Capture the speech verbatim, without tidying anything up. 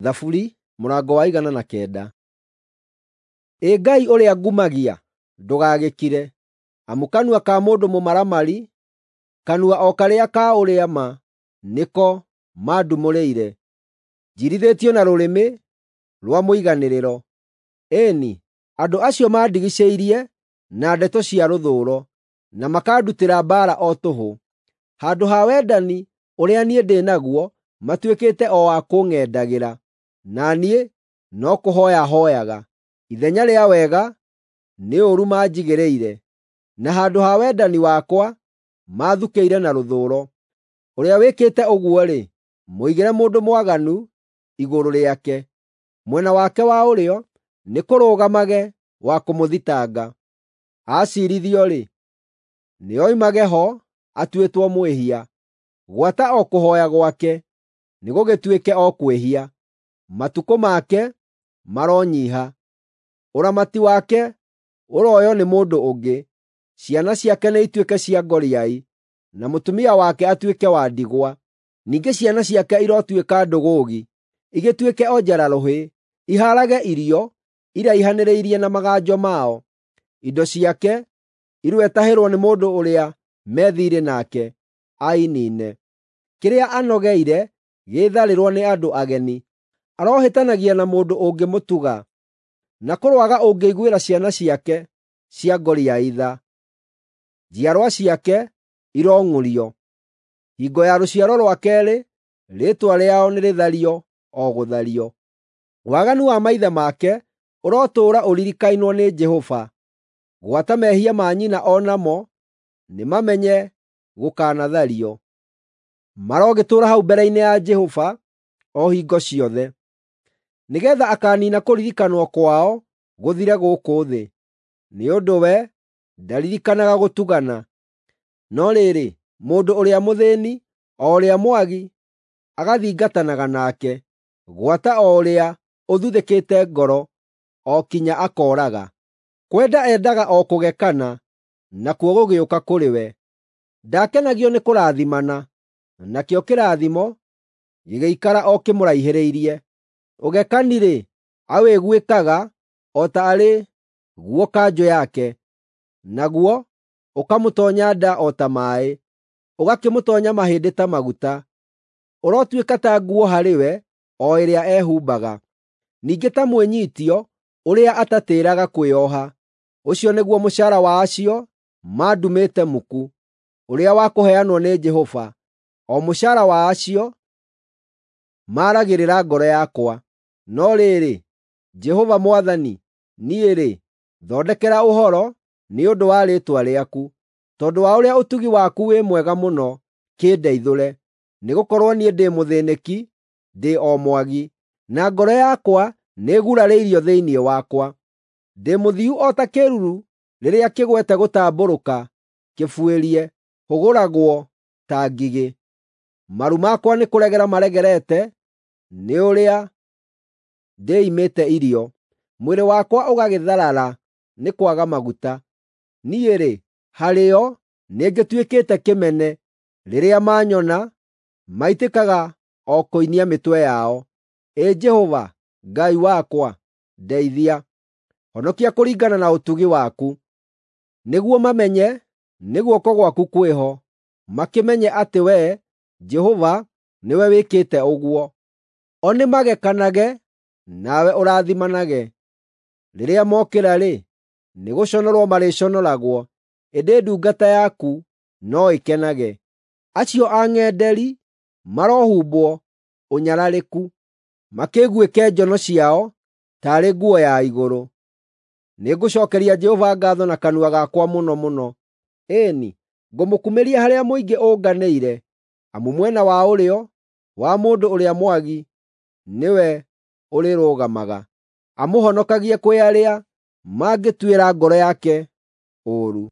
Thaburi mũrango wa igana na kenda. Ĩ Ngai ũrĩa ngumagia, ndũgagĩkire, amu kanua ka mũndũ mũmaramari, kanua o karĩa ka ũrĩa ma, nĩko mandumũrĩire. Njirithĩtio na rũrĩmĩ rwa mũiganĩrĩro. Ĩni, andũ acio mandigicĩirie na ndeto cia rũthũũro, na makandutĩra mbaara o tũhũ. Handũ ha wendani ũrĩa niĩ ndĩ naguo matuĩkĩte o a kũng'endagĩra, na niĩ no kũhooya hooyaga. Ithenya rĩa wega nĩ ũũru manjigĩrĩire, na handũ ha wendani wakwa maathukĩire na rũthũũro. Ũrĩa wĩkĩte ũguo-rĩ, mũigĩre mũndũ mwaganu igũrũ rĩake, mwena wake wa ũrĩo nĩkũrũgamage wa kũmũthitanga. Aciirithio-rĩ, nĩoimage ho atuĩtwo mwĩhia. Gwata o kũhooya gwake nĩgũgĩtuĩke o kwĩhia. Matukũ make maronyiiha, ũramati wake ũroywo nĩ mũndũ ũngĩ. Ciana ciake nĩituĩke cia ngoriai, na mũtumia wake atuĩke wa ndigwa. Ningĩ ciana ciake irotuĩka ndũgũgĩ, igĩtuĩke o njara-rũhĩ, ihaarage irio iraihanĩrĩirie na maganjo mao. Indo ciake iroetahĩrwo nĩ mũndũ ũrĩa me thiirĩ nake, ainiine. Kĩrĩa anogeire gĩtharĩrwo nĩ andũ ageni. Arohĩtanagia na mũndũ ũngĩmũtuga, na kũroaga ũngĩiguĩra ciana ciake cia ngoriai tha. Njiarwa ciake irong'ũrio. Hingo ya rũciaro rwa keerĩ rĩĩtwa rĩao nĩrĩthario o gũthario. Waganu wa maithe make ũrotũũra ũririkainwo nĩ Jehova, gwata mehia ma nyina o namo nĩmamenye gũkanathario. Marogĩtũũra hau mbere-inĩ ya Jehova o hingo ciothe, nĩgeetha akaaniina kũririkanwo kwao gũthire gũkũ thĩ, nĩ ũndũ we ndaririkanaga gũtugana. No rĩrĩ, mũndũ ũrĩa mũthĩĩni, o ũrĩa mwagi, agathingatanaga nake, gwata o ũrĩa ũthuthĩkĩte ngoro, o kinya akooraga. Kwenda endaga o kũgekana, nakuo gũgĩũka kũrĩ we. Ndakenagio nĩ kũrathimana, nakĩo kĩrathimo gĩgĩikara o kĩmũraihĩrĩirie. Ũgekani-rĩ, awĩguĩkaga o ta arĩ guo kanjũ yake, naguo ũkamũtoonya nda o ta maaĩ, ũgakĩmũtoonya mahĩndĩ ta maguta. Ũrotuĩka ta nguo harĩ we o ĩrĩa ehumbaga, ningĩ ta mwĩnyiitio ũrĩa atatĩĩraga kwĩoha. Ũcio nĩguo mũcaara wa acio mandumĩte muku, ũrĩa wa kũheanwo nĩ Jehova, o mũcaara wa acio maaragĩrĩra ngoro yakwa. No rĩrĩ, Jehova Mwathani, niĩ-rĩ, thondekera ũhoro nĩ ũndũ wa rĩĩtwa rĩaku. Tondũ wa ũrĩa ũtugi waku wĩ mwega mũno, kĩndeithũre. Nĩgũkorwo niĩ ndĩ mũthĩĩnĩki, ndĩ o mwagi, na ngoro yakwa nĩĩgurarĩirio thĩinĩ wakwa. Ndĩ mũthiu o ta kĩĩruru rĩrĩa kĩgwete gũtambũrũka kĩbuĩrie, hũgũragwo ta ngigĩ. Maru makwa nĩkũregera maregerete nĩ ũrĩa ndĩimĩte irio, mwĩrĩ wakwa ũgagĩtharara nĩ kwaga maguta. Niĩ-rĩ, harĩo nĩngĩtuĩkĩte kĩmene; rĩrĩa maanyona, maitĩkaga o kũinia mĩtwe yao. Ĩ Jehova, Ngai wakwa, ndeithia; honokia kũringana na ũtugi waku, nĩguo mamenye nĩ guoko gwaku kwĩho, makĩmenye atĩ Wee, Jehova, nĩwe wĩkĩte ũguo. O nĩmagekanage, nawe ũrathimanage. Rĩrĩa mokĩra-rĩ, nĩgũconorwo marĩconoragwo, ĩndĩ ndungata yaku no ĩkenage. Acio ang'enderi marohumbwo ũnyararĩku, makĩguĩke njono ciao taarĩ nguo ya igũrũ. Nĩngũcookeria Jehova ngaatho na kanua gakwa mũno mũno. Ĩni, ngũmũkumĩria harĩa mũingĩ ũnganĩire, amu mwena wa ũrĩo wa mũndũ ũrĩa mwagi nĩwe ũrĩrũgamaga, amũhonokagie kwĩ arĩa mangĩtuĩra ngoro yake ũũru.